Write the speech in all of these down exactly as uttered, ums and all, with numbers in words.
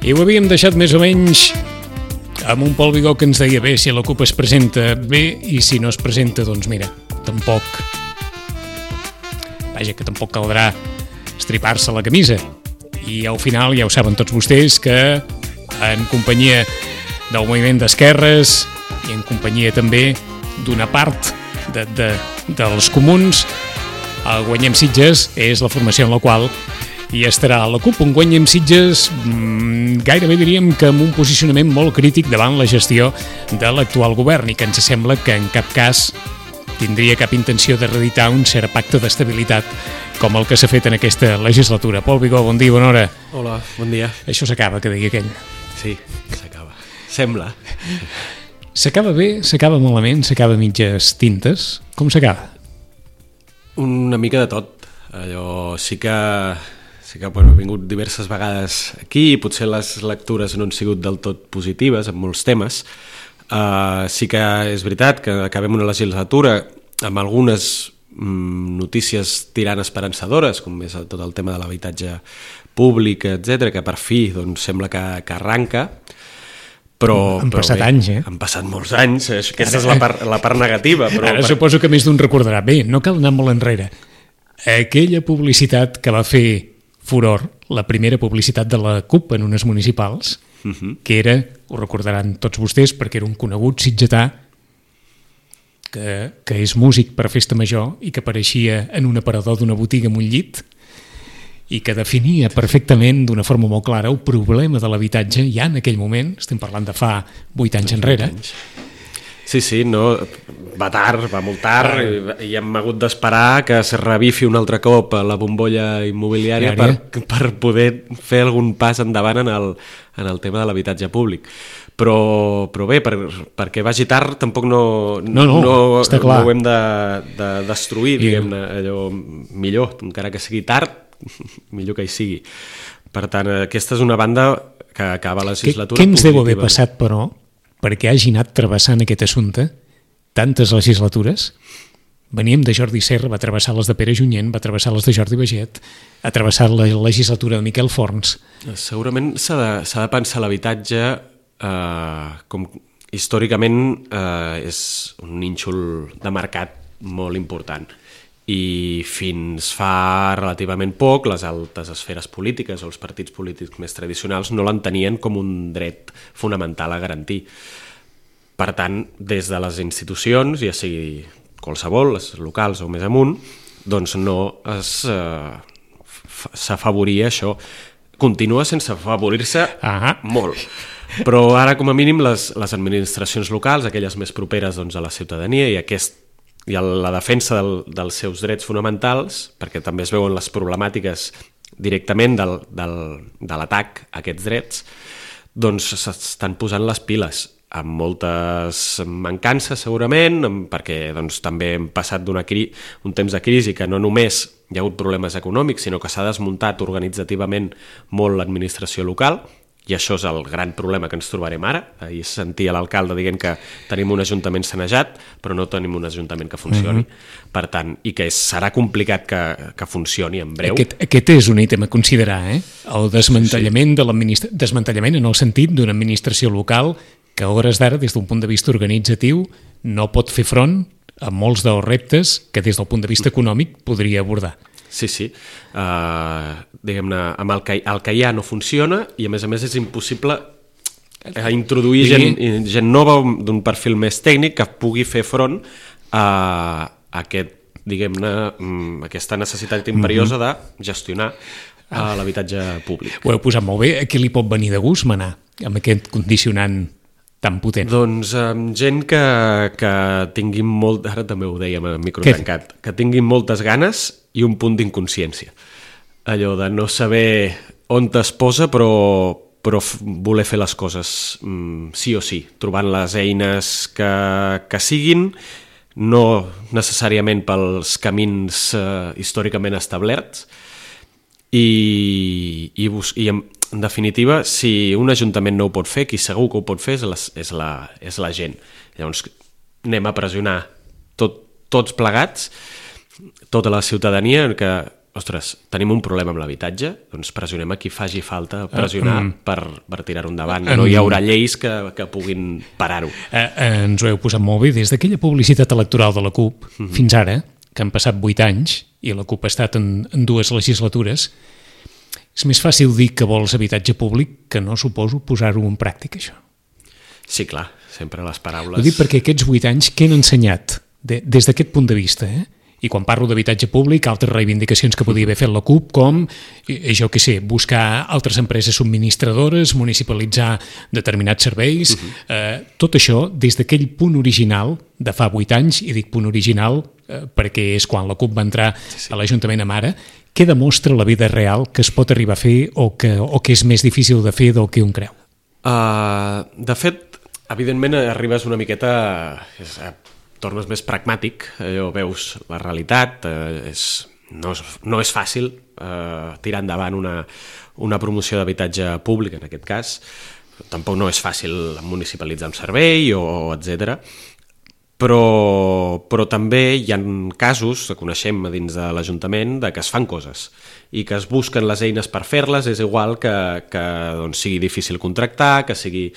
I ho havíem deixat més o menys amb un Pol Vigó que ens deia bé, si la CUP es presenta bé i si no es presenta, doncs mira, tampoc vaja, que tampoc caldrà estripar-se la camisa. I al final ja ho saben tots vostès que en companyia del moviment d'esquerres i en companyia també d'una part de, de, dels comuns, el Guanyem Sitges és la formació en la qual i estarà la CUP, un Guanyem Sitges mmm, gairebé diríem que amb un posicionament molt crític davant la gestió de l'actual govern i que ens sembla que en cap cas tindria cap intenció de reeditar un cert pacte d'estabilitat com el que s'ha fet en aquesta legislatura. Pol Vigó, bon dia, bona hora. Hola, bon dia. Això s'acaba, que digui aquell. Sí, s'acaba. Sembla. S'acaba bé, s'acaba malament, s'acaba mitges tintes. Com s'acaba? Una mica de tot. Allò sí que... Sí que bueno, he vingut diverses vegades aquí i potser les lectures no han sigut del tot positives en molts temes. Uh, sí que és veritat que acabem una legislatura amb algunes mm, notícies tirant esperançadores, com és tot el tema de l'habitatge públic, etcètera, que per fi doncs, sembla que, que arranca. Però, han però passat bé, anys, eh? Han passat molts anys, aquesta és la part, la part negativa. Però Ara per... suposo que més d'un recordarà. Bé, no cal anar molt enrere. Aquella publicitat que va fer furor, la primera publicitat de la CUP en unes municipals, uh-huh. que era, ho recordaran tots vostès, perquè era un conegut sitgetà que, que és músic per festa major i que apareixia en un aparador d'una botiga amb un llit i que definia perfectament d'una forma molt clara el problema de l'habitatge ja en aquell moment, estem parlant de fa vuit anys enrere. Sí, sí, no, va tard, va molt tard i, i hem hagut d'esperar que es revifi un altre cop la bombolla immobiliària per, per poder fer algun pas endavant en el, en el tema de l'habitatge públic. Però, però bé, per, perquè vagi tard tampoc no, no, no, no, està clar. no ho hem de, de destruir, I... diguem-ne, allò millor, encara que sigui tard, millor que hi sigui. Per tant, aquesta és una banda que acaba la legislatura. Què, què ens deu haver passat, però, perquè hagi anat travessant aquest assumpte tantes legislatures? Veníem de Jordi Serra, va travessar les de Pere Junyent, va travessar les de Jordi Baget, ha travessat la legislatura de Miquel Forns. Segurament s'ha de, s'ha de pensar l'habitatge eh, com històricament eh, és un nínxol de mercat molt important. I fins fa relativament poc les altes esferes polítiques o els partits polítics més tradicionals no l'entenien com un dret fonamental a garantir. Per tant, des de les institucions, ja sigui qualsevol, les locals o més amunt, doncs no es, eh, s'afavoria això. Continua sense afavorir-se ah. molt. Però ara, com a mínim, les, les administracions locals, aquelles més properes doncs, a la ciutadania i aquest i la defensa del, dels seus drets fonamentals, perquè també es veuen les problemàtiques directament del, del, de l'atac a aquests drets, doncs s'estan posant les piles amb moltes mancances segurament, perquè doncs, també hem passat d'una cri- un temps de crisi que no només hi ha hagut problemes econòmics, sinó que s'ha desmuntat organitzativament molt l'administració local, i això és el gran problema que ens trobarem ara. Ahir sentia l'alcalde dient que tenim un ajuntament sanejat, però no tenim un ajuntament que funcioni. Uh-huh. Per tant, i que serà complicat que, que funcioni en breu. Aquest, aquest és un ítem a considerar, eh? El desmantellament, sí. de l'administra... desmantellament en el sentit d'una administració local que a hores d'ara, des d'un punt de vista organitzatiu, no pot fer front a molts dels reptes que des del punt de vista econòmic podria abordar. Sí, sí. Uh, diguem-ne, amb el que, el que hi ha no funciona i, a més a més, és impossible uh, introduir gent, gent nova d'un perfil més tècnic que pugui fer front a, a aquest, diguem-ne, aquesta necessitat imperiosa de gestionar uh, l'habitatge públic. Ho heu posat molt bé. A qui li pot venir de gust manar amb aquest condicionant tan potent? Doncs amb gent que, que tinguin molt... Ara també ho dèiem a micro tancat. Que tinguin moltes ganes i un punt d'inconsciència. Allò de no saber on es posa, però, però voler fer les coses mm, sí o sí, trobant les eines que, que siguin, no necessàriament pels camins eh, històricament establerts, i, i, bus- i en, en definitiva, si un ajuntament no ho pot fer, qui segur que ho pot fer és la, és la, és la gent. Llavors anem a pressionar tot, tots plegats, tota la ciutadania, que, ostres, tenim un problema amb l'habitatge, doncs pressionem a qui faci falta pressionar uh, um, per, per tirar-ho endavant. Um, no hi haurà lleis que, que puguin parar-ho. Uh, uh, ens ho heu posat molt bé. Des d'aquella publicitat electoral de la CUP uh-huh. fins ara, que han passat vuit anys, i la CUP ha estat en, en dues legislatures, és més fàcil dir que vols habitatge públic que no suposo posar-ho en pràctica, això. Sí, clar, sempre les paraules... Ho dic perquè aquests vuit anys, què han ensenyat de, des d'aquest punt de vista, eh? I quan parlo d'habitatge públic, altres reivindicacions que podia haver fet la CUP, com, jo què sé, buscar altres empreses subministradores, municipalitzar determinats serveis, uh-huh. eh, tot això des d'aquell punt original de fa vuit anys, i dic punt original eh, perquè és quan la CUP va entrar sí, sí. a l'Ajuntament amb ara, què demostra la vida real que es pot arribar a fer o que, o que és més difícil de fer del que un creu? Uh, de fet, evidentment arribes una miqueta... És, tornes més pragmàtic, allò veus la realitat, eh, és, no, és, no és fàcil eh, tirar endavant una, una promoció d'habitatge públic, en aquest cas, tampoc no és fàcil municipalitzar un servei, o, etcètera. Però, però també hi ha casos, que coneixem dins de l'Ajuntament, de que es fan coses i que es busquen les eines per fer-les, és igual que, que doncs, sigui difícil contractar, que sigui...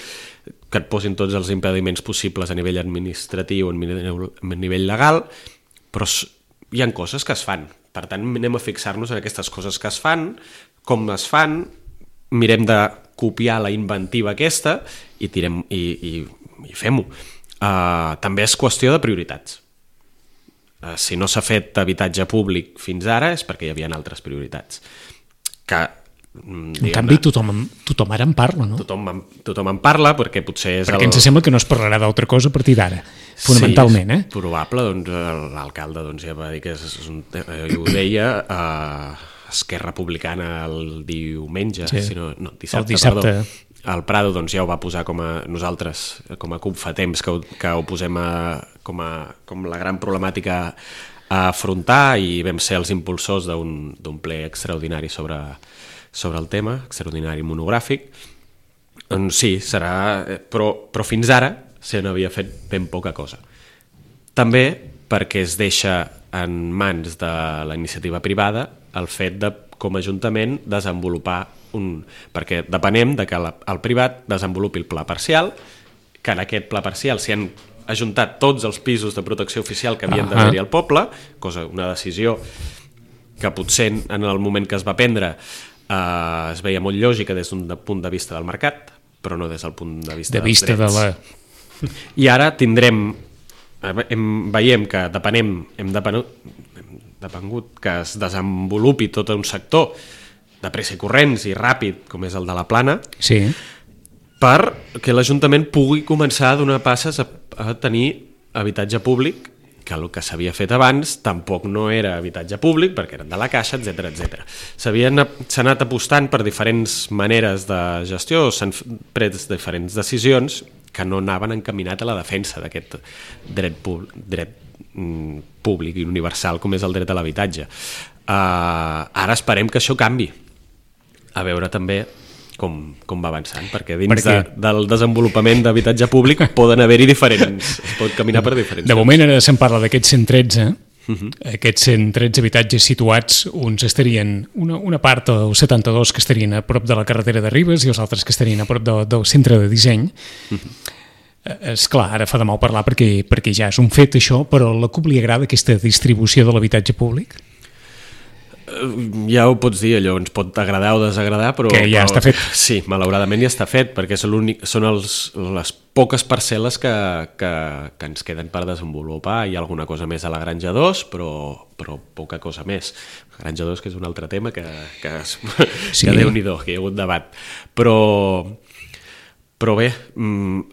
que et posin tots els impediments possibles a nivell administratiu o a nivell legal, però hi ha coses que es fan. Per tant, anem a fixar-nos en aquestes coses que es fan, com es fan, mirem de copiar la inventiva aquesta i, tirem, i, i, i fem-ho. Uh, també és qüestió de prioritats. Uh, si no s'ha fet habitatge públic fins ara és perquè hi havia altres prioritats. Que en canvi tothom, tothom ara en parla, no? Tothom, tothom en parla perquè potser és perquè el... ens sembla que no es parlarà d'altra cosa a partir d'ara, fonamentalment, sí, eh? Probable, doncs l'alcalde doncs, ja va dir que és, és un, eh, ho deia a Esquerra Republicana el diumenge, sí. si no, no, dissabte, el dissabte. Perdó. El Prado doncs, ja ho va posar com a nosaltres, com a CUP fa temps que ho, que ho posem a, com, a, com la gran problemàtica a afrontar, i vam ser els impulsors d'un ple extraordinari sobre sobre el tema, extraordinari monogràfic. Doncs sí, serà... Però, però fins ara se n'havia fet ben poca cosa. També perquè es deixa en mans de la iniciativa privada el fet de, com a Ajuntament, desenvolupar un... Perquè depenem de que la, el privat desenvolupi el pla parcial, que en aquest pla parcial s'hi han ajuntat tots els pisos de protecció oficial que havien d'haver-hi al poble, cosa, una decisió que potser en el moment que es va prendre Uh, es veia molt lògica des d'un punt de vista del mercat, però no des del punt de vista de dels vista drets. De la... I ara tindrem, hem, veiem que depenem, hem, depenut, hem depengut que es desenvolupi tot un sector de pressa i corrents i ràpid, com és el de la Plana, sí. perquè l'Ajuntament pugui començar a donar passes a, a tenir habitatge públic, que el que s'havia fet abans tampoc no era habitatge públic, perquè eren de la Caixa, etcètera etcètera. S'ha anat apostant per diferents maneres de gestió, s'han pres diferents decisions que no anaven encaminat a la defensa d'aquest dret, dret públic i universal com és el dret a l'habitatge. Uh, ara esperem que això canvi. A veure també Com, com va avançant, perquè dins perquè... De, del desenvolupament d'habitatge públic poden haver-hi diferents, es pot caminar per diferents. De moment ara se'n parla d'aquests cent tretze, uh-huh. aquests cent tretze habitatges situats, uns estarien, una, una part, els setanta-dos que estarien a prop de la carretera de Ribes i els altres que estarien a prop de, del centre de disseny. Uh-huh. És clar, ara fa de mal parlar perquè, perquè ja és un fet això, però a la CUP li agrada aquesta distribució de l'habitatge públic? Ja ho pots dir, allò ens pot agradar o desagradar, però... Que ja però, està fet. Sí, malauradament ja està fet, perquè és són els, les poques parcel·les que, que, que ens queden per desenvolupar. Hi ha alguna cosa més a la Granja dos, però, però poca cosa més. La Granja dos, que és un altre tema que, que, sí. que Déu-n'hi-do, que hi ha hagut debat. Però... Però bé,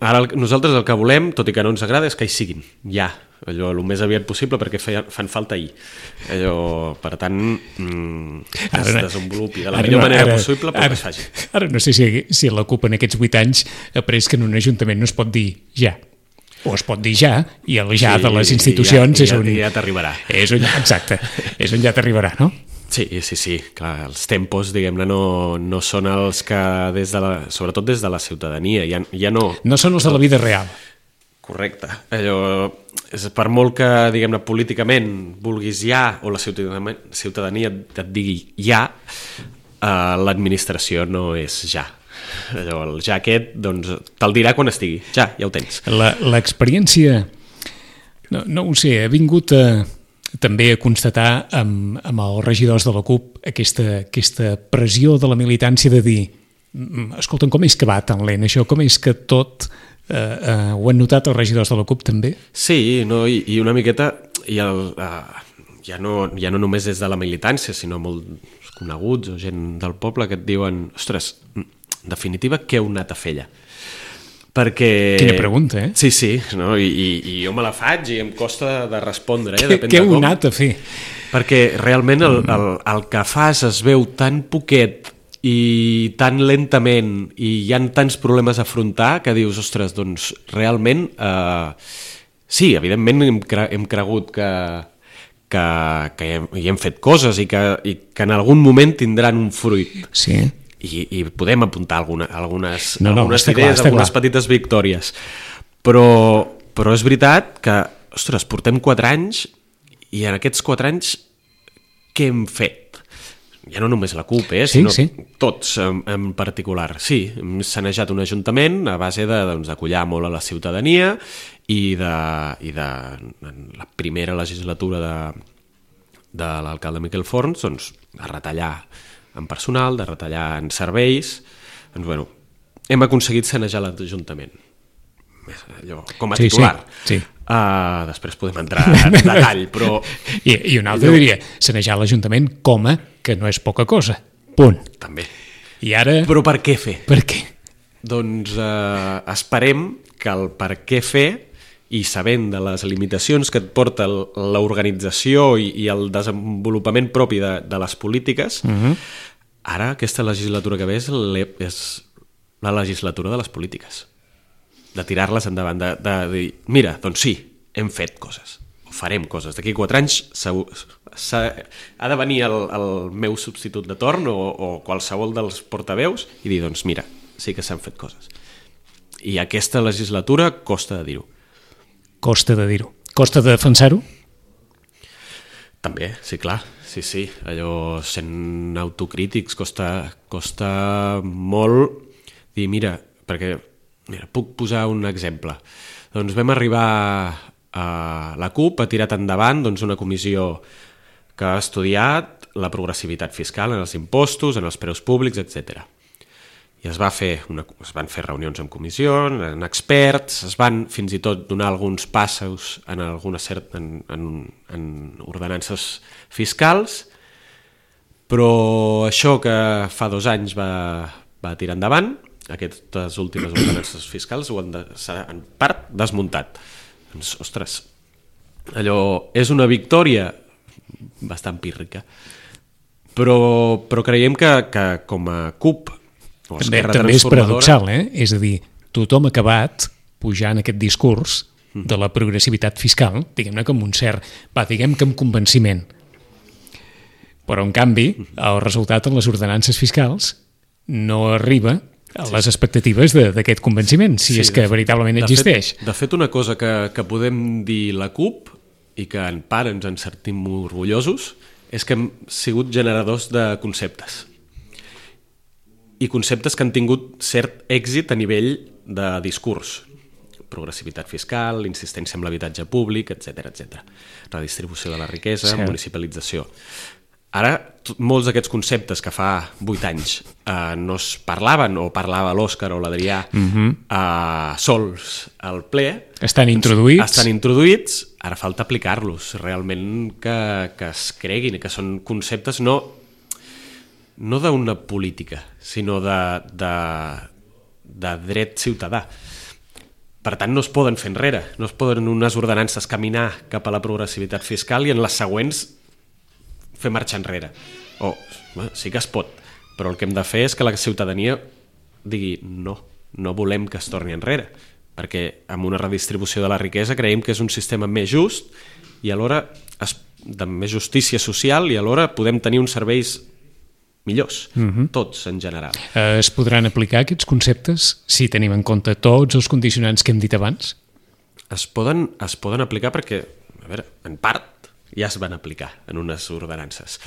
ara nosaltres el que volem, tot i que no ens agrada, és que hi siguin, ja, allò el més aviat possible, perquè feien, fan falta ahir. Allò, per tant, que es desenvolupi de la millor no, manera ara, possible, però ara, que es faci. Ara no sé si, si la CUP en aquests vuit anys ha après que en un ajuntament no es pot dir ja. O es pot dir ja, i el ja Sí, de les institucions ja, és ja, on... ja t'arribarà. És on, exacte, és on ja t'arribarà, no? Sí, sí, sí, clar, els tempos, diguem-ne, no, no són els que, des de la, sobretot des de la ciutadania, ja, ja no... No són els de la vida real. Correcte. Allò, és per molt que, diguem-ne, políticament vulguis ja, o la ciutadania, ciutadania et digui ja, eh, l'administració no és ja. Allò, el ja aquest, doncs, te'l dirà quan estigui. Ja, ja ho tens. La- L'experiència, no, no ho sé, ha vingut a, també a constatar amb, amb els regidors de la CUP aquesta, aquesta pressió de la militància de dir "Mm, escolta'm, com és que va tan lent això? Com és que tot... Eh, eh, ho han notat els regidors de la CUP també? Sí, no, i, i una miqueta i el, uh, ja, no, ja no només des de la militància, sinó molts coneguts o gent del poble que et diuen ostres, en definitiva, què heu anat a fer allà? Perquè... Quina pregunta, eh? Sí, sí, no? I, i, i jo me la faig i em costa de respondre. Eh? Què, Depèn què de heu com. anat a fer? Perquè realment el, el, el que fas es veu tan poquet i tan lentament i hi ha tants problemes a afrontar que dius, ostres, doncs realment eh, sí, evidentment hem, cre hem cregut que, que, que hi, hem, hi hem fet coses i que, i que en algun moment tindran un fruit Sí. i, i podem apuntar alguna, algunes, No, no, algunes està idees, clar, està algunes clar. petites victòries, però, però és veritat que, ostres, portem quatre anys i en aquests quatre anys què hem fet? Ja no només la CUP, eh, Sí, sinó sí. tots en, en particular. Sí, hem sanejat un ajuntament a base de, doncs, d'acollar molt a la ciutadania i de, i de en la primera legislatura de, de l'alcalde Miquel Forns, doncs, de retallar en personal, de retallar en serveis. Doncs, bueno, hem aconseguit sanejar l'Ajuntament. Allò, com a Sí, titular. sí, sí. Uh, després podem entrar en detall, però... I, i un altre diria, sanejar l'Ajuntament com a que no és poca cosa. Punt. També. I ara, Però per què fer? per què? Doncs eh, esperem que el per què fer i sabent de les limitacions que et porta el- l'organització i, i el desenvolupament propi de, de les polítiques, Mhm. ara aquesta legislatura que ve és, l'e- és la legislatura de les polítiques. De tirar-les endavant, de, de dir, mira, doncs sí, hem fet coses, o farem coses. D'aquí quatre anys segur, ha de venir el, el meu substitut de torn o, o qualsevol dels portaveus i dir, doncs mira, sí que s'han fet coses. I aquesta legislatura costa de dir-ho. Costa de dir-ho. Costa de defensar-ho? També, sí, clar, sí, sí, allò sent autocrítics costa, costa molt dir, mira, perquè mira, puc posar un exemple. Doncs vam arribar a la CUP, ha tirat endavant doncs, una comissió que ha estudiat la progressivitat fiscal en els impostos, en els preus públics, etcètera. I es, va fer una, es van fer reunions en comissió, en experts, es van fins i tot donar alguns passos en, alguna cert, en, en, en ordenances fiscals, però això que fa dos anys va, va tirar endavant, aquestes últimes ordenances fiscals ho han de, s'ha en part desmuntat. Doncs, ostres, allò és una victòria bastant pírrica, però, però creiem que, que com a CUP o També, Esquerra també és Transformadora, paradoxal, eh? És a dir, tothom ha acabat pujant aquest discurs de la progressivitat fiscal, diguem-ne com un cert, va, diguem que amb convenciment. Però, en canvi, el resultat en les ordenances fiscals no arriba a les expectatives de- d'aquest convenciment, si Sí, és que de- veritablement de existeix. Fet, de fet, una cosa que, que podem dir la CUP i que en part ens en sentim orgullosos és que hem sigut generadors de conceptes. I conceptes que han tingut cert èxit a nivell de discurs. Progressivitat fiscal, insistència en l'habitatge públic, etcètera, etcètera. Redistribució de la riquesa, Cert. municipalització. Ara, t- molts d'aquests conceptes que fa vuit anys eh, no es parlaven, o parlava l'Òscar o l'Adrià eh, sols al ple, Estan introduïts. estan introduïts, ara falta aplicar-los, realment que, que es creguin, que són conceptes no, no d'una política, sinó de, de, de dret ciutadà. Per tant, no es poden fer enrere, no es poden unes ordenances caminar cap a la progressivitat fiscal i en les següents fer marxar enrere. O, bueno, sí que es pot, però el que hem de fer és que la ciutadania digui no, no volem que es torni enrere. perquè amb una redistribució de la riquesa creiem que és un sistema més just i alhora es, de més justícia social i alhora podem tenir uns serveis millors, uh-huh. tots en general. Eh, es podran aplicar aquests conceptes si tenim en compte tots els condicionants que hem dit abans? Es poden, es poden aplicar perquè, a veure, en part ja es van aplicar en unes ordenances.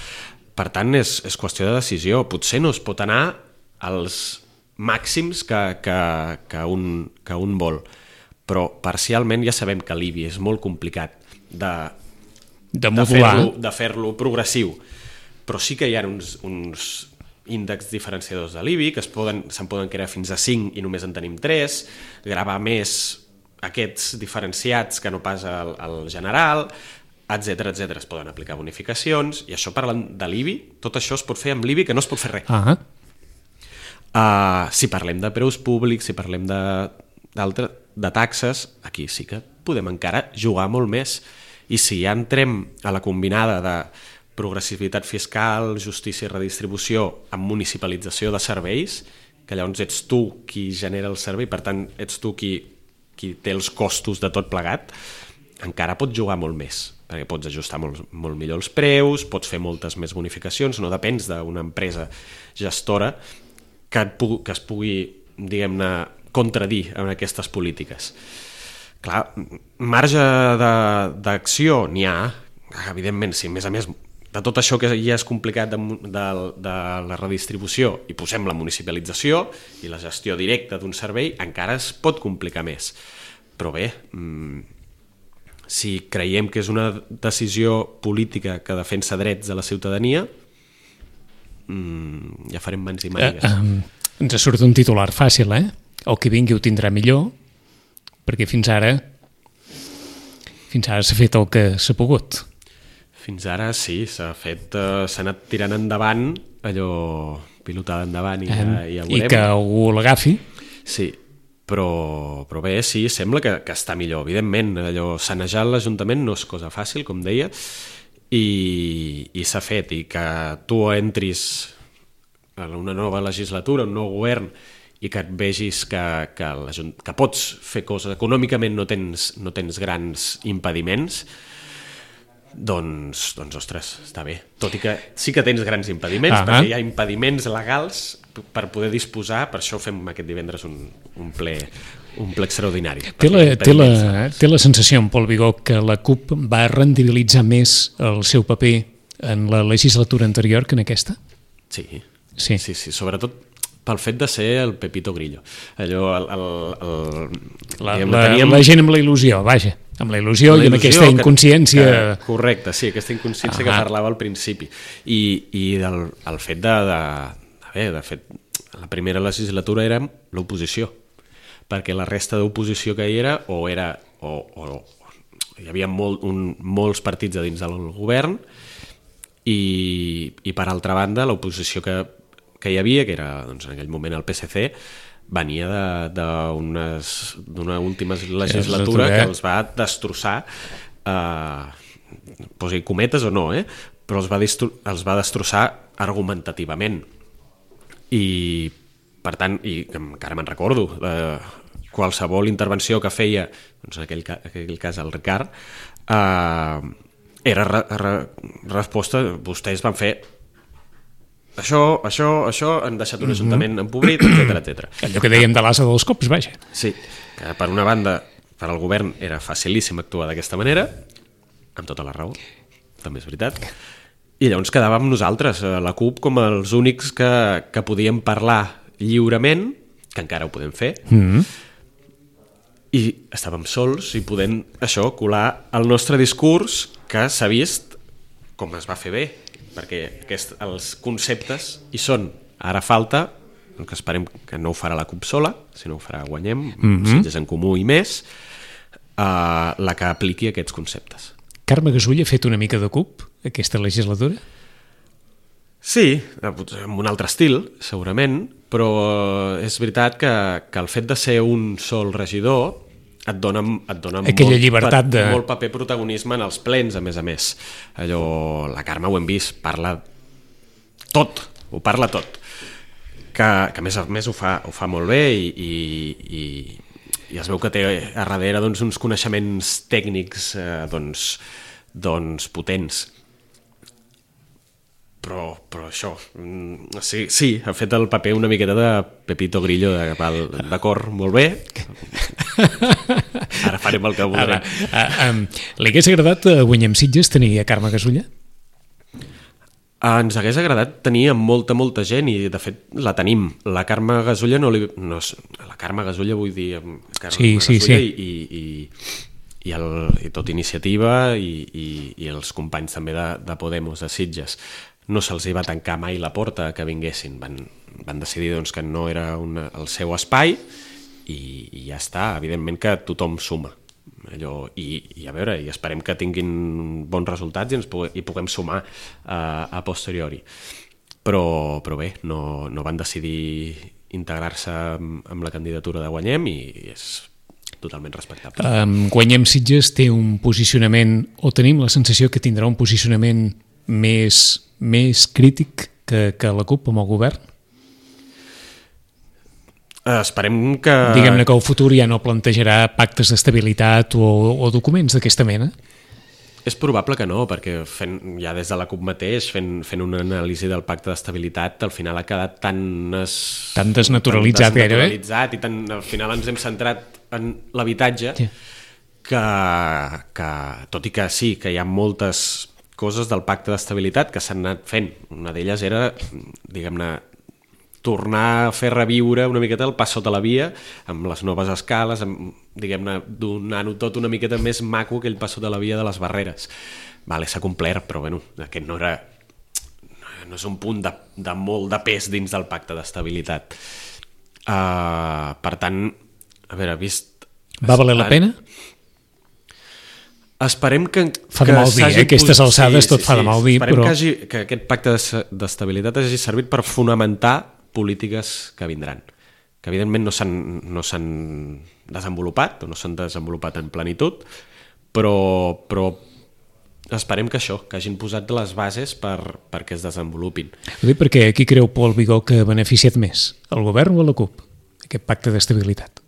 Per tant, és, és qüestió de decisió. Potser no es pot anar als màxims que, que, que, un, que un vol, però parcialment ja sabem que l'I B I és molt complicat de, de, de fer-lo de fer-lo progressiu, però sí que hi ha uns, uns índexs diferenciadors de l'I B I que es poden, se'n poden crear fins a cinc i només en tenim tres, gravar més aquests diferenciats que no pas al, al general, etcètera, etcètera. Es poden aplicar bonificacions, i això parlant de l'I B I, tot això es pot fer amb l'I B I que no es pot fer res. Ah. Uh, si parlem de preus públics, si parlem de, de taxes, aquí sí que podem encara jugar molt més. I si ja entrem a la combinada de progressivitat fiscal, justícia i redistribució amb municipalització de serveis, que llavors ets tu qui genera el servei, per tant ets tu qui, qui té els costos de tot plegat, encara pots jugar molt més, perquè pots ajustar molt, molt millor els preus, pots fer moltes més bonificacions, no depens d'una empresa gestora que, et, que es pugui, diguem-ne, contradir en aquestes polítiques. Clar, marge d'acció n'hi ha, evidentment, si a més a més de tot això que ja és complicat de, de, de la redistribució i posem la municipalització i la gestió directa d'un servei, encara es pot complicar més. Però bé, si creiem que és una decisió política que defensa drets de la ciutadania, ja farem mans i mànigues. Eh, eh, ens surt un titular fàcil, eh? El que vingui ho tindrà millor, perquè fins ara fins ara s'ha fet el que s'ha pogut. Fins ara sí, s'ha fet, uh, s'ha anat tirant endavant, allò pilotada endavant i, ja, i ja veurem. I que algú l'agafi. Sí, però, però bé, sí, sembla que, que està millor. Evidentment, allò sanejar l'Ajuntament no és cosa fàcil, com deia, i, i s'ha fet, i que tu entris en una nova legislatura, un nou govern, i que et vegis que, que, que pots fer coses, econòmicament no tens, no tens grans impediments, doncs, doncs, ostres, està bé. Tot i que sí que tens grans impediments, uh-huh. perquè hi ha impediments legals per poder disposar, per això fem aquest divendres un, un, ple, un ple extraordinari. Té la, té, la, té la sensació, en Pol Vigó, que la CUP va rendibilitzar més el seu paper en la legislatura anterior que en aquesta? Sí, sí, sí, sí sobretot pel fet de ser el Pepito Grillo. Allò, el, el, el, la, diguem, la, teníem... la gent amb la il·lusió, vaja, amb la il·lusió, amb la il·lusió i amb aquesta inconsciència... Que, que, correcte, sí, aquesta inconsciència ah, que parlava al principi. I, i del, el fet de, de, de... Bé, de fet, la primera legislatura era l'oposició, perquè la resta d'oposició que hi era, o era... O, o, hi havia molt, un, molts partits a dins del govern, i, i per altra banda, l'oposició que que hi havia, que era doncs, en aquell moment el P S C, venia d'una última legislatura que els va destrossar, eh, posi cometes o no, eh? però els va, distru els va destrossar argumentativament. I, per tant, i encara me'n recordo, eh, qualsevol intervenció que feia, doncs en aquell, en aquell cas el Ricard, eh, era re re resposta, vostès van fer això, això, això, han deixat un ajuntament empobrit, etcètera, etcètera. Allò que dèiem de l'asa dels cops, vaja. Sí, que per una banda, per al govern era facilíssim actuar d'aquesta manera, amb tota la raó, també és veritat, i llavors quedàvem nosaltres, la CUP, com els únics que, que podíem parlar lliurement, que encara ho podem fer, mm-hmm. i estàvem sols i podem, això, colar el nostre discurs, que s'ha vist com es va fer bé, perquè aquest, els conceptes hi són. Ara falta, que esperem que no ho farà la CUP sola, sinó ho farà Guanyem, mm-hmm. Sitges en Comú i més, uh, la que apliqui aquests conceptes. Carme Gasull ha fet una mica de CUP aquesta legislatura? Sí, amb un altre estil, segurament, però és veritat que, que el fet de ser un sol regidor et dona, et dona aquella molt, llibertat de... molt paper protagonisme en els plens, a més a més. Allò, la Carme ho hem vist, parla tot, ho parla tot. Que, que a més a més ho fa, ho fa molt bé i, i, i, i es veu que té a darrere doncs, uns coneixements tècnics eh, doncs, doncs potents. Però, però això, sí, sí, ha fet el paper una miqueta de Pepito Grillo, de, d'acord, molt bé, ara farem el que voldrem. Uh, um, li hagués agradat a Guanyem Sitges tenir a Carme Gasulla? Ens hagués agradat tenir molta, molta gent i, de fet, la tenim. La Carme Gasulla no li... No, la Carme Gasulla vull dir... Carme sí, sí, Gasulla sí. I, i, i, el, i tot Iniciativa i, i, i els companys també de, de Podemos, de Sitges. No se'ls hi va tancar mai la porta que vinguessin. Van, van decidir doncs, que no era una, el seu espai i, i ja està. Evidentment que tothom suma. Allò, i, i a veure, i esperem que tinguin bons resultats i ens puguem, i puguem sumar a, a posteriori, però, però bé, no, no van decidir integrar-se amb, amb la candidatura de Guanyem i és totalment respectable. Um, Guanyem Sitges té un posicionament, o tenim la sensació que tindrà un posicionament més, més crític que, que la CUP amb el govern? Esperem que... Diguem-ne que el futur ja no plantejarà pactes d'estabilitat o, o documents d'aquesta mena? És probable que no, perquè fent, ja des de la CUP mateix, fent, fent una anàlisi del pacte d'estabilitat, al final ha quedat tan... Es, tan desnaturalitzat, tan gairebé. desnaturalitzat i tan, al final ens hem centrat en l'habitatge, sí. que, que, tot i que sí, que hi ha moltes coses del pacte d'estabilitat que s'han anat fent. Una d'elles era, diguem-ne, tornar a fer reviure una miqueta el pas sota la via amb les noves escales, amb, diguem-ne, donant-ho tot una miqueta més maco que el pas sota la via de les barreres. Vale, s'ha complert, però bueno, aquest no era no és un punt de, de molt de pes dins del pacte d'estabilitat. Uh, per tant, a veure, vist... Va valer la pena? Esperem que... Fa de mal dir, eh? Aquestes alçades sí, tot sí, fa de mal dir, esperem però... que, hagi, que aquest pacte d'estabilitat hagi servit per fonamentar polítiques que vindran, que evidentment no s'han, no s'han desenvolupat o no s'han desenvolupat en plenitud, però, però esperem que això, que hagin posat les bases per, perquè es desenvolupin. Ho dic perquè aquí creu Pol Vigó que ha beneficiat més, el govern o la CUP, aquest pacte d'estabilitat?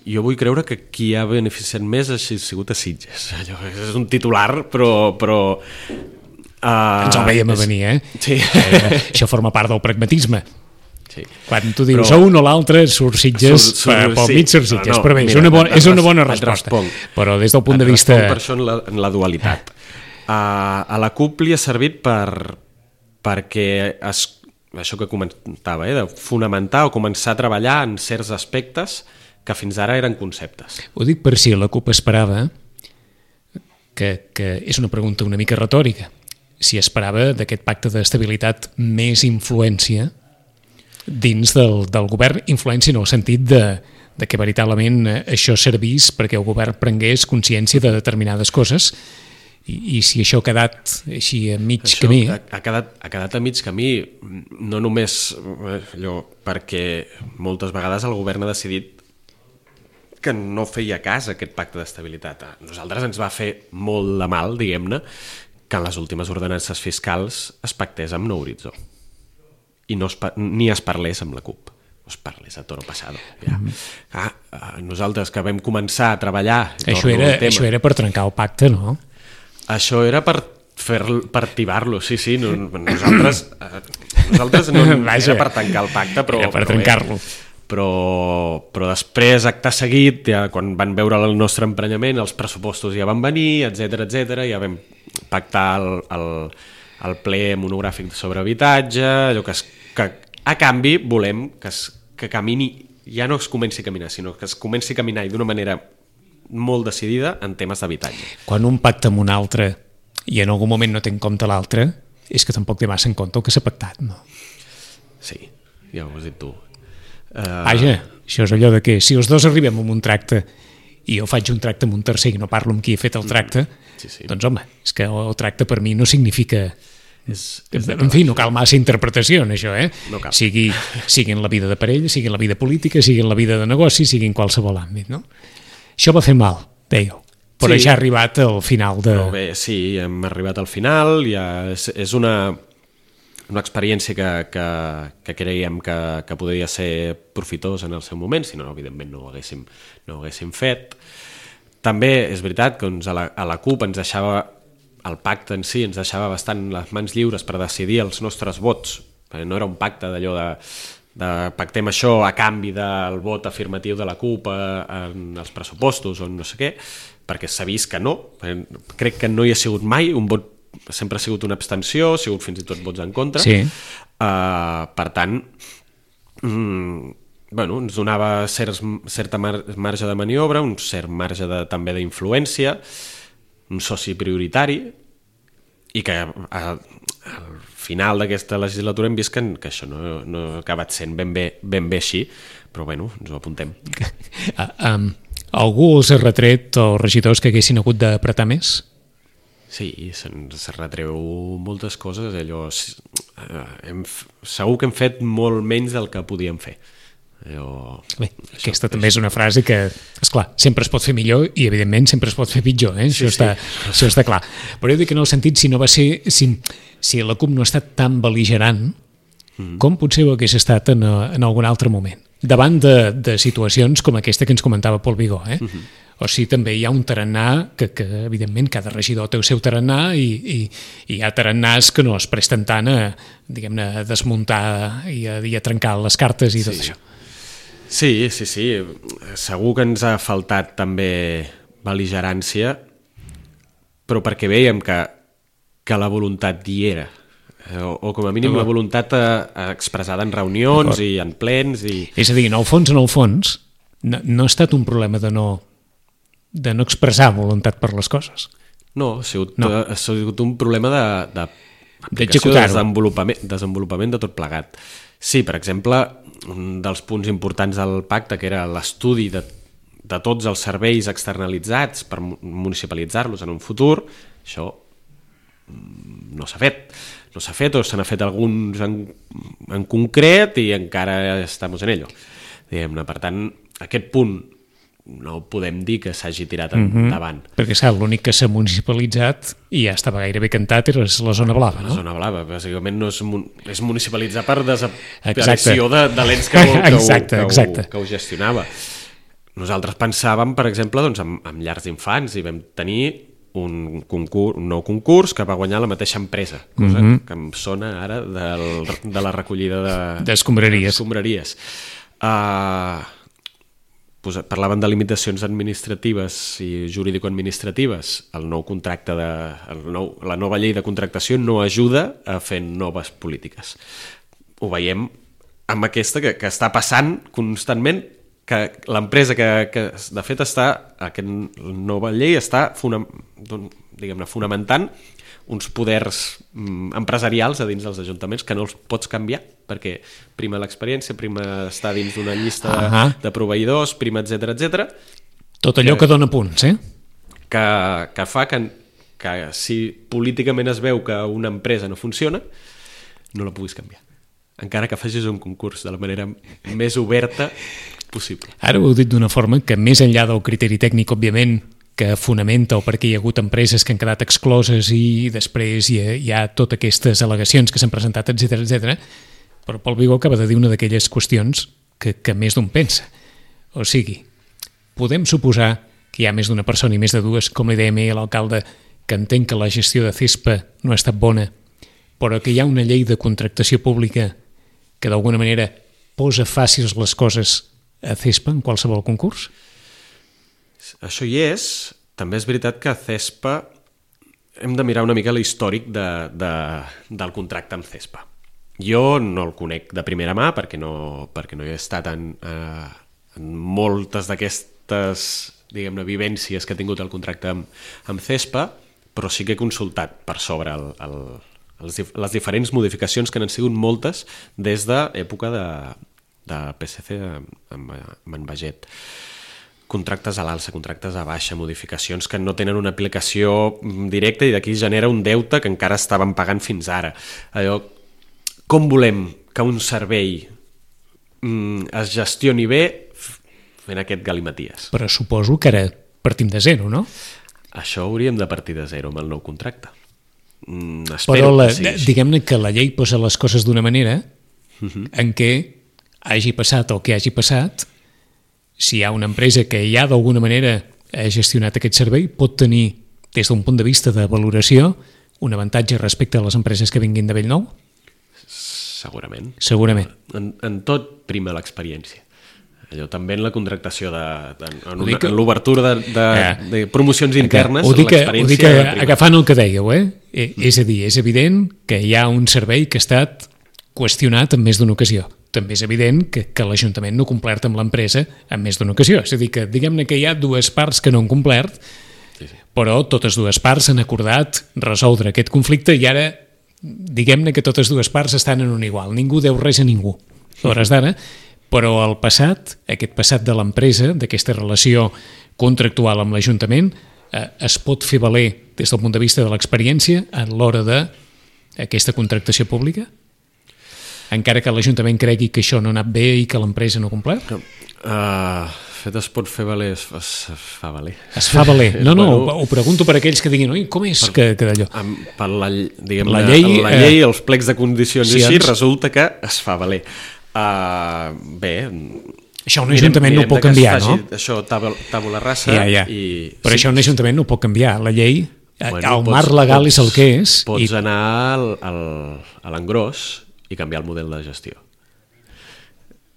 Jo vull creure que qui ha beneficiat més ha sigut a Sitges. Allò és un titular, però... però Uh, ens el veiem a venir, eh? Sí. eh? Això forma part del pragmatisme. Sí. Quan tu dius però... un o l'altre, surt Sitges, sur, sur, pel sí. mig surt Sitges, no, no, però bé, mira, és una bona, és una bona resposta. Responc. Però des del punt et de vista... per això en la, en la dualitat. Uh, a la CUP li ha servit per, perquè es, això que comentava, eh, de fonamentar o començar a treballar en certs aspectes que fins ara eren conceptes. Ho dic per si la CUP esperava, que, que és una pregunta una mica retòrica, si esperava d'aquest pacte d'estabilitat més influència dins del, del govern, influència en el sentit de, de que veritablement això servís perquè el govern prengués consciència de determinades coses i, i si això ha quedat així a mig això camí... Ha, ha, quedat, ha quedat a mig camí, no només allò, perquè moltes vegades el govern ha decidit que no feia cas a aquest pacte d'estabilitat. A nosaltres ens va fer molt de mal, diguem-ne, que en les últimes ordenances fiscals es pactés amb Nou Horitzó i no es, ni es parlés amb la CUP, no es parlés a toro passado. Ja. Ah, nosaltres que vam començar a treballar... Això era, això era per trencar el pacte, no? Això era per, fer, per tibar-lo, sí, sí. No, nosaltres, nosaltres no Vaja, era per tancar el pacte, però... Era per trencar-lo. Però, però després, acte seguit, ja, quan van veure el nostre emprenyament, els pressupostos ja van venir, etcètera, etcètera, ja vam pactar el, el, el ple monogràfic sobre habitatge, allò que, es, que a canvi volem que, es, que camini, ja no es comenci a caminar, sinó que es comenci a caminar d'una manera molt decidida en temes d'habitatge. Quan un pacta amb un altre i en algun moment no té en compte l'altre, és que tampoc té massa en compte el que s'ha pactat, no? Sí, ja ho has dit tu. Uh... Vaja, això és allò de que si els dos arribem a un tracte i jo faig un tracte amb un tercer i no parlo amb qui he fet el tracte, sí, sí. Doncs home, és que el tracte per mi no significa... És, és en fi, no cal massa interpretació en això, eh? No cal. Sigui, sigui en la vida de parella, sigui en la vida política, sigui en la vida de negoci, sigui en qualsevol àmbit, no? Això va fer mal, dèieu, però sí. Ja ha arribat al final de... Però bé, sí, hem arribat al final, ja és, és una... una experiència que, que, que creiem que, que podria ser profitosa en el seu moment, si no, evidentment no ho haguéssim, no ho haguéssim fet. També és veritat que doncs, a, la, a la CUP ens deixava, el pacte en si ens deixava bastant les mans lliures per decidir els nostres vots, perquè no era un pacte d'allò de, de pactem això a canvi del vot afirmatiu de la CUP en els pressupostos o no sé què, perquè s'ha vist que no. Crec que no hi ha sigut mai un vot, sempre ha sigut una abstenció, ha sigut fins i tot vots en contra. Sí. Uh, per tant, mm, bueno, ens donava certs, certa mar, marge de maniobra, un cert marge de, també d'influència, un soci prioritari, i que a, al final d'aquesta legislatura hem vist que, que això no, no ha acabat sent ben bé, ben bé així, però bueno, ens ho apuntem. Uh, um, algú els ha retret els regidors que haguessin hagut d'apretar més? Sí, se'ns retreu moltes coses, allò, eh, hem, segur que hem fet molt menys del que podíem fer. Allò, Bé, aquesta això, també és una frase que, esclar, sempre es pot fer millor i evidentment sempre es pot fer pitjor, eh? Sí, això, està, sí. això està clar. Però jo dic en el sentit, si no va ser, si, si la CUP no ha estat tan bel·ligerant, mm. com potser ho hagués estat en, en algun altre moment, davant de, de situacions com aquesta que ens comentava Pol Vigó, eh? Mm-hmm. O sigui, també hi ha un tarannà que, que evidentment, cada regidor té el seu tarannà i, i, i hi ha tarannàs que no es presten tant a, diguem-ne, a desmuntar i a, i a trencar les cartes i tot sí. això. Sí, sí, sí. Segur que ens ha faltat també bel·ligerància, però perquè veiem que, que la voluntat hi era, o, o com a mínim la voluntat a, a expressada en reunions i en plens. I... És a dir, en el fons, en el fons, no, no ha estat un problema de no... de no expressar voluntat per les coses. No, ha sigut, no. ha sigut un problema de, de d'aplicació, de desenvolupament, desenvolupament de tot plegat. Sí, per exemple, un dels punts importants del pacte, que era l'estudi de, de tots els serveis externalitzats per municipalitzar-los en un futur, això no s'ha fet. No s'ha fet o se n'ha fet alguns en, en concret i encara estem en ello. Diguem-ne, per tant, aquest punt no podem dir que s'hagi tirat endavant. Mm-hmm. Perquè, clar, l'únic que s'ha municipalitzat i ja estava gairebé cantat era la zona blava, no? La zona blava, bàsicament no és, és municipalitzar per desaparició de, de l'ens que, que, exacte, que, exacte. que ho gestionava. Nosaltres pensàvem, per exemple, doncs, en, en llars d'infants i vam tenir un, concurs, un nou concurs que va guanyar la mateixa empresa, cosa mm-hmm. que em sona ara del, de la recollida de, d'escombraries. d'escombraries. Uh, Parlaven de limitacions administratives i jurídico-administratives. El nou contracte de, el nou, la nova llei de contractació no ajuda a fer noves polítiques. Ho veiem amb aquesta que, que està passant constantment, que l'empresa que, que de fet està, aquesta nova llei està fonam, diguem-ne, fonamentant uns poders mm, empresarials a dins dels ajuntaments que no els pots canviar, perquè prima l'experiència, prima estar dins d'una llista uh -huh. de, de proveïdors, prima, etcètera, etcètera. Tot allò que, que dona punts, eh? Que, que fa que, que si políticament es veu que una empresa no funciona, no la puguis canviar. Encara que facis un concurs de la manera més oberta possible. Ara ho heu dit d'una forma que, més enllà del criteri tècnic, òbviament, que fonamenta o perquè hi ha hagut empreses que han quedat excloses i després hi ha, hi ha totes aquestes al·legacions que s'han presentat, etcètera, etcètera. Però Pol Vigó acaba de dir una d'aquelles qüestions que, que més d'un pensa. O sigui, podem suposar que hi ha més d'una persona i més de dues, com li dèiem a l'alcalde, que entén que la gestió de CESPA no ha estat bona, però que hi ha una llei de contractació pública que d'alguna manera posa fàcils les coses a CESPA en qualsevol concurs? Això hi és. També és veritat que a CESPA hem de mirar una mica l'històric de, de, del contracte amb CESPA. Jo no el conec de primera mà perquè no, perquè no he estat en, eh, en moltes d'aquestes, diguem-ne, vivències que ha tingut el contracte amb, amb CESPA, però sí que he consultat per sobre el, el, els, les diferents modificacions que n'han sigut moltes des de l'època de, de P S C amb, amb en Baget. Contractes a l'alça, contractes a baixa, modificacions que no tenen una aplicació directa i d'aquí genera un deute que encara estaven pagant fins ara. Allò, com volem que un servei mm, es gestioni bé fent aquest galimaties? Però suposo que ara partim de zero, no? Això hauríem de partir de zero amb el nou contracte. mm, espero Però la, que sigui així. diguem-ne que la llei posa les coses d'una manera Uh-huh. en què hagi passat el que hagi passat, si hi ha una empresa que ja d'alguna manera ha gestionat aquest servei, pot tenir, des d'un punt de vista de valoració, un avantatge respecte a les empreses que vinguin de Bellnou? Segurament. Segurament. En, en tot prima l'experiència. Allò també en la contractació, de, de, en, Ho dic una, que- en l'obertura de, de, Ja. de promocions internes, Ho dic, ho l'experiència... dic prima. agafant el que dèieu, eh? Eh, És a dir, és evident que hi ha un servei que ha estat qüestionat en més d'una ocasió. També és evident que, que l'Ajuntament no ha complert amb l'empresa en més d'una ocasió. És a dir, que diguem-ne que hi ha dues parts que no han complert, Sí, sí. però totes dues parts han acordat resoldre aquest conflicte i ara diguem-ne que totes dues parts estan en un igual. Ningú deu res a ningú, a hores d'ara, però el passat, aquest passat de l'empresa, d'aquesta relació contractual amb l'Ajuntament, eh, es pot fer valer des del punt de vista de l'experiència en l'hora d'aquesta contractació pública? Encara que l'Ajuntament cregui que això no ha anat bé i que l'empresa no ha complert? No. Uh, fet es pot fer valer, es, es, es fa valer. Es fa valer. No, no, Bueno, ho, ho pregunto per aquells que diguin, oi, com és que, que d'allò? Amb, per la, diguem, La la llei, llei, la eh, llei els plecs de condicions i així, condicions. resulta que es fa valer. Uh, bé... Això un ajuntament no ho pot de que es canviar, faci no? Això, tabula, tabula rasa, Ja, ja. i... Però això un ajuntament no ho pot canviar. La llei, Bueno, el pots- marc legal pots- és el que és. Pots I anar al, al, a l'engròs i canviar el model de gestió.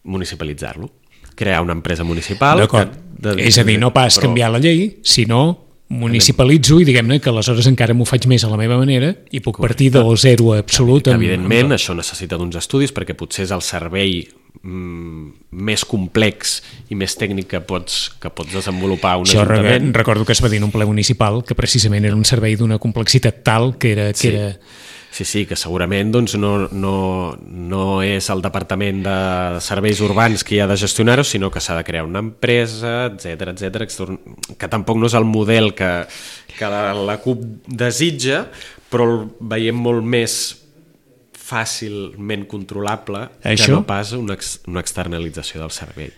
Municipalitzar-lo. Crear una empresa municipal... D'acord. que- de- És a dir, no pas però- canviar la llei, sinó municipalitzo i diguem-ne que aleshores encara m'ho faig més a la meva manera i puc partir del zero absolut. Que, amb- evidentment, amb... això necessita d'uns estudis perquè potser és el servei mm, més complex i més tècnic que pots, que pots desenvolupar un Això re- ajuntament. recordo que es va dir en un ple municipal que precisament era un servei d'una complexitat tal que era... Que Sí. era... Sí, sí, que segurament doncs, no, no, no és el Departament de Serveis Urbans qui ha de gestionar-ho, sinó que s'ha de crear una empresa, etcètera, etcètera, que tampoc no és el model que, que la, la CUP desitja, però el veiem molt més fàcilment controlable Això? que no pas una, ex, una externalització del servei.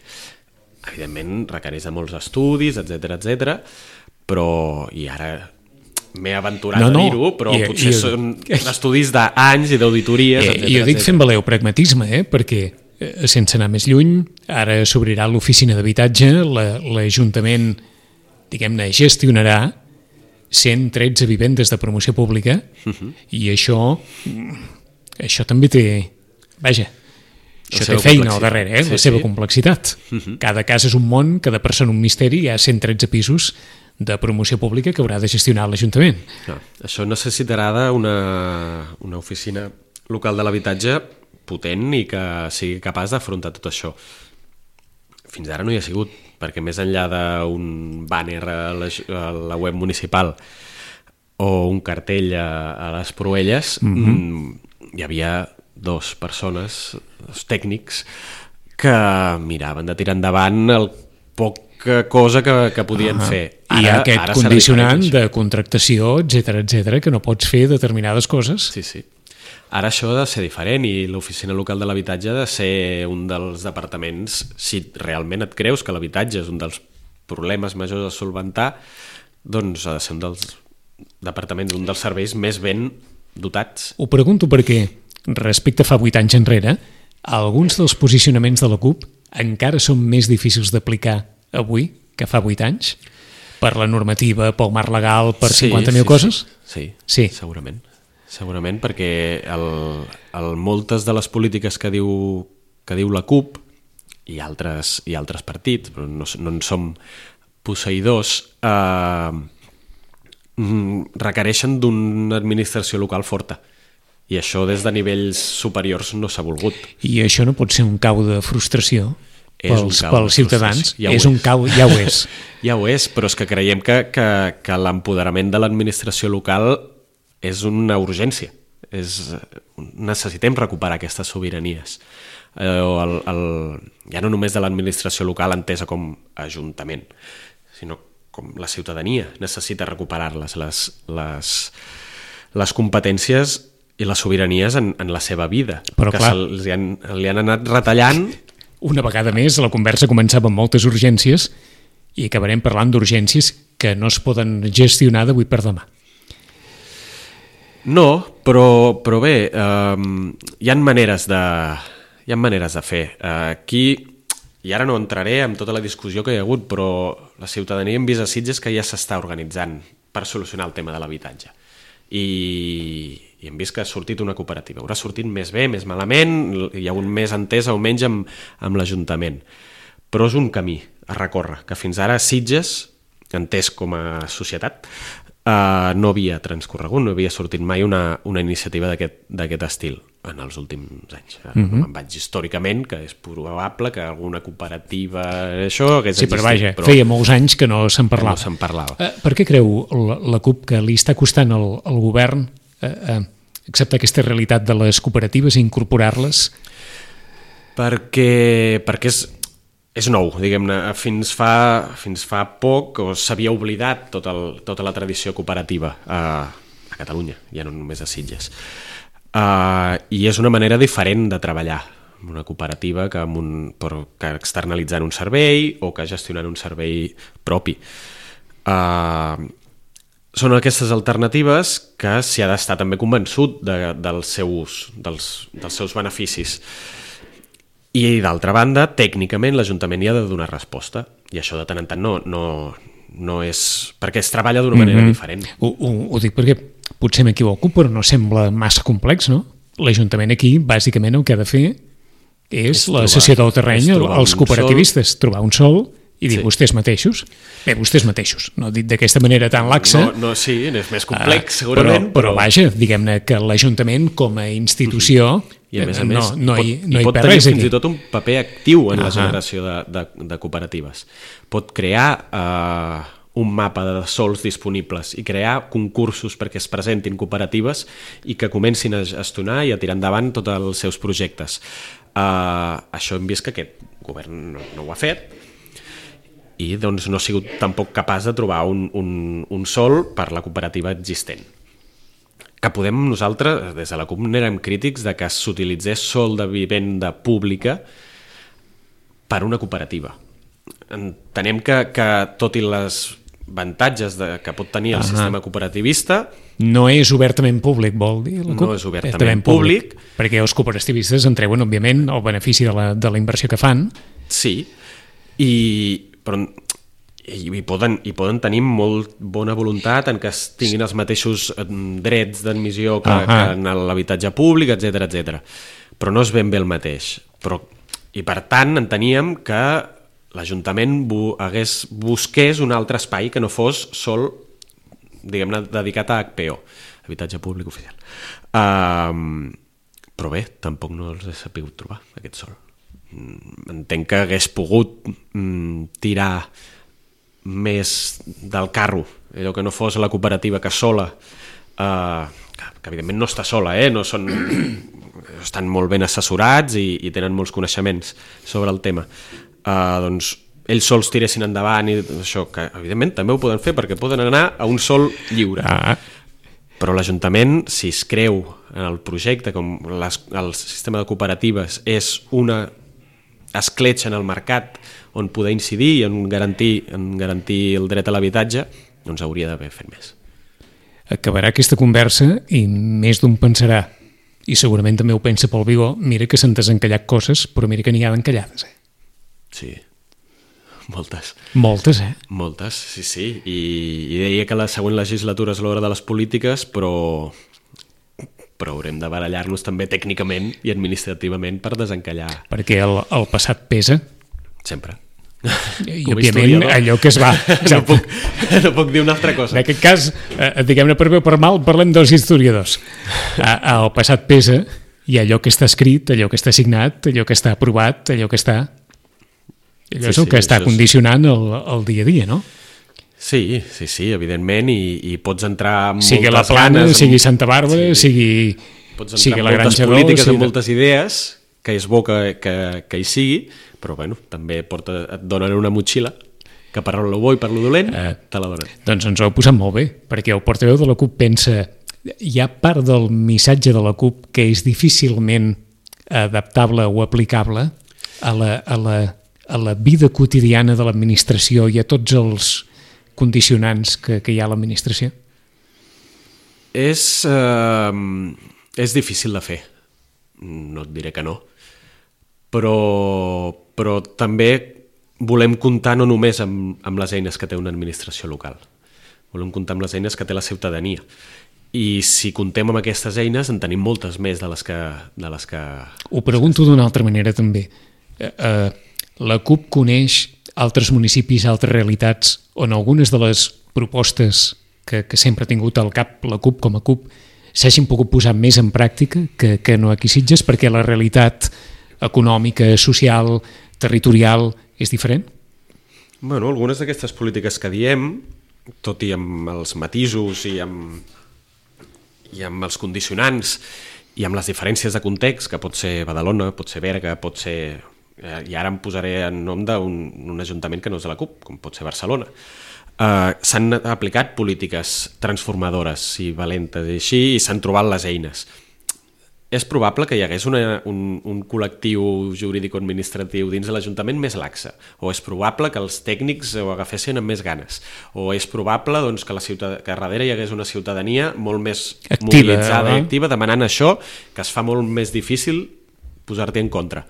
Evidentment, requereix de molts estudis, etcètera, etcètera, però, i ara m'he aventurat No, no. a dir-ho, però I- potser i- són estudis d'anys i d'auditories, Eh, etcètera. I ho dic etcètera. fent valer el pragmatisme, eh? Perquè, eh, sense anar més lluny, ara s'obrirà l'oficina d'habitatge, la- l'Ajuntament, diguem-ne, gestionarà cent tretze vivendes de promoció pública Uh -huh. i això, això també té... Vaja, això té seva feina al complexitat. darrere, eh? Sí, la seva sí. complexitat. Uh -huh. Cada casa és un món, cada persona un misteri, hi ha cent tretze pisos de promoció pública que haurà de gestionar l'Ajuntament. No, això necessitarà una, una oficina local de l'habitatge potent i que sigui capaç d'afrontar tot això. Fins ara no hi ha sigut, perquè més enllà d'un bàner a la, a la web municipal o un cartell a, a les Proelles, mm-hmm. mm, hi havia dos persones, dos tècnics, que miraven de tirar endavant el poca cosa que, que podien Ah, fer. I Ara, aquest ara serà condicionant diferent, això. de contractació, etcètera, etcètera, que no pots fer determinades coses. Sí, sí. Ara això ha de ser diferent i l'oficina local de l'habitatge ha de ser un dels departaments, si realment et creus que l'habitatge és un dels problemes majors a solventar, doncs ha de ser un dels departaments, un dels serveis més ben dotats. Ho pregunto perquè, respecte a fa vuit anys enrere, alguns dels posicionaments de la CUP encara són més difícils d'aplicar avui que fa vuit anys? Per la normativa, pel marc legal, per cinquanta mil sí, coses? Sí, Sí. sí, segurament. Segurament perquè el, el, moltes de les polítiques que diu, que diu la CUP i altres, i altres partits, però no, no en som posseïdors, eh, requereixen d'una administració local forta. I això des de nivells superiors no s'ha volgut. I això no pot ser un cau de frustració És un pels, cau de pels ciutadans? frustració. Ja ho és un és. cau, ja ho és. Ja ho és, però és que creiem que, que, que l'empoderament de l'administració local és una urgència. És, necessitem recuperar aquestes sobiranies. Eh, el, el, ja no només de l'administració local entesa com a ajuntament, sinó com la ciutadania necessita recuperar-les, les, les, les competències i les sobiranies en, en la seva vida, Però que clar. se'ls han, li han anat retallant. Una vegada més, la conversa començava amb moltes urgències i acabarem parlant d'urgències que no es poden gestionar d'avui per demà. No, però, però bé, eh, hi ha maneres de, hi ha maneres de fer. Eh, aquí, i ara no entraré en tota la discussió que hi ha hagut, però la ciutadania hem vist a Sitges que ja s'està organitzant per solucionar el tema de l'habitatge. I, i hem vist que ha sortit una cooperativa. Haurà sortit més bé, més malament, hi ha un més entesa o menys amb, amb l'Ajuntament. Però és un camí a recórrer, que fins ara Sitges, entès com a societat, Uh, no havia transcorregut, no havia sortit mai una, una iniciativa d'aquest estil en els últims anys. Uh, mm-hmm. Me'n vaig històricament, que és probable que alguna cooperativa això hagués sí, existit. Però vaja, però feia molts anys que no se'n parlava. No se'n parlava. Uh, per què creu la, la CUP que li està costant al, al govern uh, uh, acceptar aquesta realitat de les cooperatives i incorporar-les? Perquè, perquè és... És nou, diguem-ne, fins fa, fins fa poc s'havia oblidat tot el, tota la tradició cooperativa a, a Catalunya, ja no només a Sitges. Uh, I és una manera diferent de treballar, una cooperativa que, amb un, que externalitzant un servei o que gestionant un servei propi. Uh, són aquestes alternatives que s'hi ha d'estar també convençut de, dels, seus, dels, dels seus beneficis. I, d'altra banda, tècnicament l'Ajuntament hi ha de donar resposta. I això de tant en tant no, no, no és... perquè es treballa d'una manera mm-hmm. diferent. Ho, ho, ho dic perquè potser m'equivoco, però no sembla massa complex, no? L'Ajuntament aquí, bàsicament, el que ha de fer és, és la cessió del terreny als cooperativistes, sol. Trobar un sol i dir sí. vostès mateixos. Bé, vostès mateixos, no dit d'aquesta manera tan laxa. No, no sí, és més complex, uh, segurament. Però, però... però vaja, diguem-ne que l'Ajuntament com a institució... Mm-hmm. I a més a més, no, no hi, no hi pot tenir fins i tot un paper actiu en uh-huh. la generació de, de, de cooperatives. Pot crear uh, un mapa de sols disponibles i crear concursos perquè es presentin cooperatives i que comencin a gestionar i a tirar endavant tots els seus projectes. Uh, això hem vist que aquest govern no, no ho ha fet i doncs no ha sigut tampoc capaç de trobar un, un, un sol per la cooperativa existent. Que podem nosaltres, des de la CUP, n'érem crítics de que s'utilitzés sol de vivenda pública per una cooperativa. Entenem que, que tot i les avantatges de, que pot tenir el uh-huh. sistema cooperativista... No és obertament públic, vol dir la CUP? No és obertament públic. públic. Perquè els cooperativistes en treuen, òbviament, el benefici de la, de la inversió que fan. Sí, i, però... I poden, i poden tenir molt bona voluntat en que tinguin els mateixos drets d'admissió que, uh-huh. que en l'habitatge públic, etcètera, etcètera. Però no és ben bé el mateix. Però, i per tant enteníem que l'Ajuntament bu, hagués, busqués un altre espai que no fos sol, diguem-ne, dedicat a H P O, habitatge públic oficial. Uh, però bé, tampoc no els he sabut trobar, aquest sol. Entenc que hagués pogut mm, tirar més del carro, allò que no fos la cooperativa que sola, eh, que, que evidentment no està sola, eh? no són, estan molt ben assessorats i, i tenen molts coneixements sobre el tema, eh, doncs ells sols tiressin endavant i això, que evidentment també ho poden fer perquè poden anar a un sol lliure. Ah. Però l'Ajuntament, si es creu en el projecte, com les, el sistema de cooperatives és una escletxa en el mercat on poder incidir i en garantir, en garantir el dret a l'habitatge, doncs hauria d'haver fet més. Acabarà aquesta conversa i més d'un pensarà, i segurament també ho pensa pel Vigó, mira que s'han desencallat coses, però mira que n'hi ha d'encallades. Eh? Sí, moltes. Moltes, eh? Moltes, sí, sí. I, i deia que la següent legislatura és l'hora de les polítiques, però... però haurem de barallar-nos també tècnicament i administrativament per desencallar. Perquè el, el passat pesa. Sempre. I òbviament allò que es va... no, puc, no puc dir una altra cosa. En aquest cas, eh, diguem-ne per bé o per mal, parlem dels historiadors. El passat pesa i allò que està escrit, allò que està signat, allò que està aprovat, allò que està... Allò sí, és el que sí, està condicionant el, el dia a dia, no? Sí, sí, sí, evidentment, i, i pots entrar amb sigui moltes la Plana, ganes... sigui Santa Bàrbara, sí. sigui, sigui la Granja d'Or... polítiques, sigui... amb moltes idees, que és bo que, que, que hi sigui, però bueno, també porta, et donen una motxilla, que per lo bo i per lo dolent, eh, te la donen. Doncs ens ho heu posat molt bé, perquè el portaveu de la CUP pensa... Hi ha part del missatge de la CUP que és difícilment adaptable o aplicable a la, a la, a la vida quotidiana de l'administració i a tots els... condicionants que, que hi ha a l'administració? És, eh, és difícil de fer, no et diré que no, però, però també volem comptar no només amb, amb les eines que té una administració local, volem comptar amb les eines que té la ciutadania. I si contem amb aquestes eines en tenim moltes més de les que... De les que... Ho pregunto d'una altra manera també. Eh, eh, la CUP coneix altres municipis, altres realitats, on algunes de les propostes que, que sempre ha tingut al cap la CUP com a CUP s'hagin pogut posar més en pràctica que, que no aquí a Sitges, perquè la realitat econòmica, social, territorial és diferent? Bueno, algunes d'aquestes polítiques que diem, tot i amb els matisos i amb, i amb els condicionants i amb les diferències de context, que pot ser Badalona, pot ser Berga, pot ser... i ara em posaré en nom d'un un ajuntament que no és de la CUP, com pot ser Barcelona. Uh, s'han aplicat polítiques transformadores i valentes i així, i s'han trobat les eines. És probable que hi hagués una, un, un col·lectiu jurídico-administratiu dins de l'Ajuntament més laxe, o és probable que els tècnics ho agafessin amb més ganes, o és probable doncs, que, la ciutad... que darrere hi hagués una ciutadania molt més activa, mobilitzada i activa, demanant això, que es fa molt més difícil posar-t'hi en contra.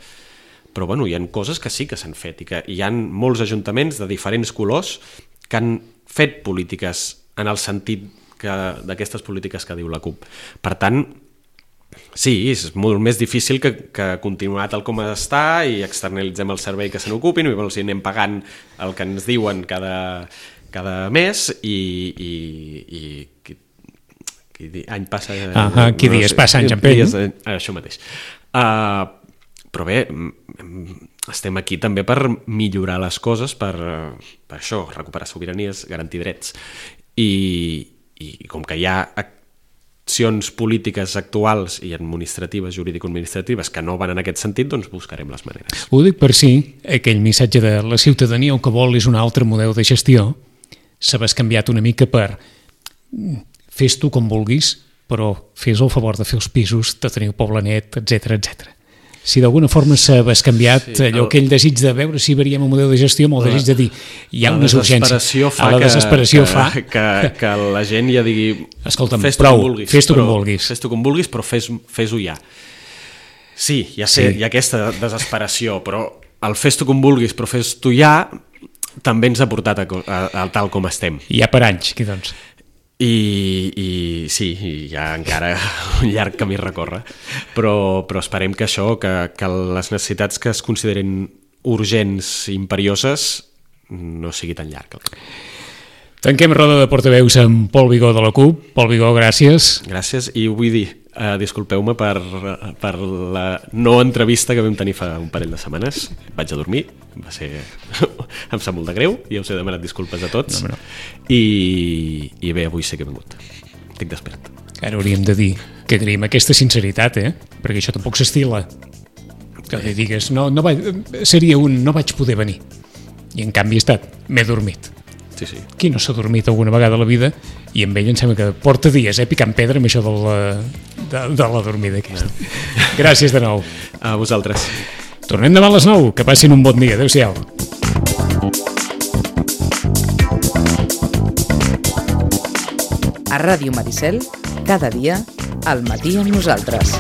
Però bueno, hi ha coses que sí que s'han fet, i que hi ha molts ajuntaments de diferents colors que han fet polítiques en el sentit d'aquestes polítiques que diu la CUP. Per tant, sí, és molt més difícil que, que continuar tal com està i externalitzem el servei que se n'ocupin i els anem pagant el que ens diuen cada, cada mes i, i, i qui, qui any passa... Ah, ah, qui no dies sé, passa anys en pell. Dies, això mateix. Uh, però bé, estem aquí també per millorar les coses, per, per això, recuperar sobiranies, garantir drets. I, i com que hi ha accions polítiques actuals i administratives, jurídico-administratives, que no van en aquest sentit, doncs buscarem les maneres. Ho dic per si aquell missatge de la ciutadania el que vol és un altre model de gestió, s'ha canviat una mica per fes tu com vulguis, però fes el favor de fer els pisos, de tenir el poble net, etcètera, etcètera. Si d'alguna forma s'ha canviat sí, allò, el... aquell desig de veure si veríem un model de gestió amb el desig de dir hi ha unes urgències. La desesperació fa que, que, que la gent ja digui escolta'm, fes prou, vulguis, fes tu però, com vulguis. Fes tu com vulguis, però fes-ho fes ja. Sí, ja sé, sí. Hi ha aquesta desesperació, però el fes tu com vulguis, però fes tu ja, també ens ha portat a, a, a tal com estem. I ja per anys, aquí doncs. I, i sí, hi ha encara un llarg camí a recórrer, però, però esperem que això, que, que les necessitats que es consideren urgents i imperioses no sigui tan llarg. Tanquem roda de portaveus amb Pol Vigó de la CUP. Pol Vigó, gràcies. Gràcies, i ho vull dir, uh, disculpeu-me per, per la no entrevista que vam tenir fa un parell de setmanes. Vaig a dormir, va ser... em sap molt de greu, i ja us he demanat disculpes a tots. No, no. I, i bé, avui sé que he vingut. Estic despert. Ara hauríem de dir que agraïm aquesta sinceritat, eh? Perquè això tampoc s'estila. Que li digues, no, no vaig, seria un no vaig poder venir. I en canvi he estat, m'he dormit. Sí, sí. Qui no s'ha dormit alguna vegada a la vida? I amb ell em sembla que porta dies, eh, picant pedra amb això de la, de, de la dormida aquesta. No. Gràcies de nou. A vosaltres. Tornem demà a les nou. Que passin un bon dia. Adéu-siau. A Ràdio Maricel, cada dia, al matí amb nosaltres.